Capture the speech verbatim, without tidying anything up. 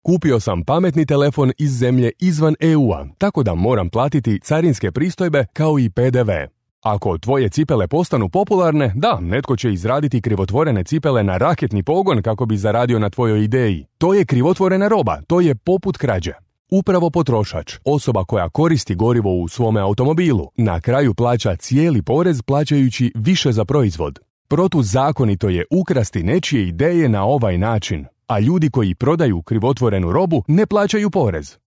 Kupio sam pametni telefon iz zemlje izvan E U-a, tako da moram platiti carinske pristojbe kao i P D V. Ako tvoje cipele postanu popularne, da, netko će izraditi krivotvorene cipele na raketni pogon kako bi zaradio na tvojoj ideji. To je krivotvorena roba, to je poput krađe. Upravo potrošač, osoba koja koristi gorivo u svome automobilu, na kraju plaća cijeli porez plaćajući više za proizvod. Protuzakonito je ukrasti nečije ideje na ovaj način, a ljudi koji prodaju krivotvorenu robu ne plaćaju porez.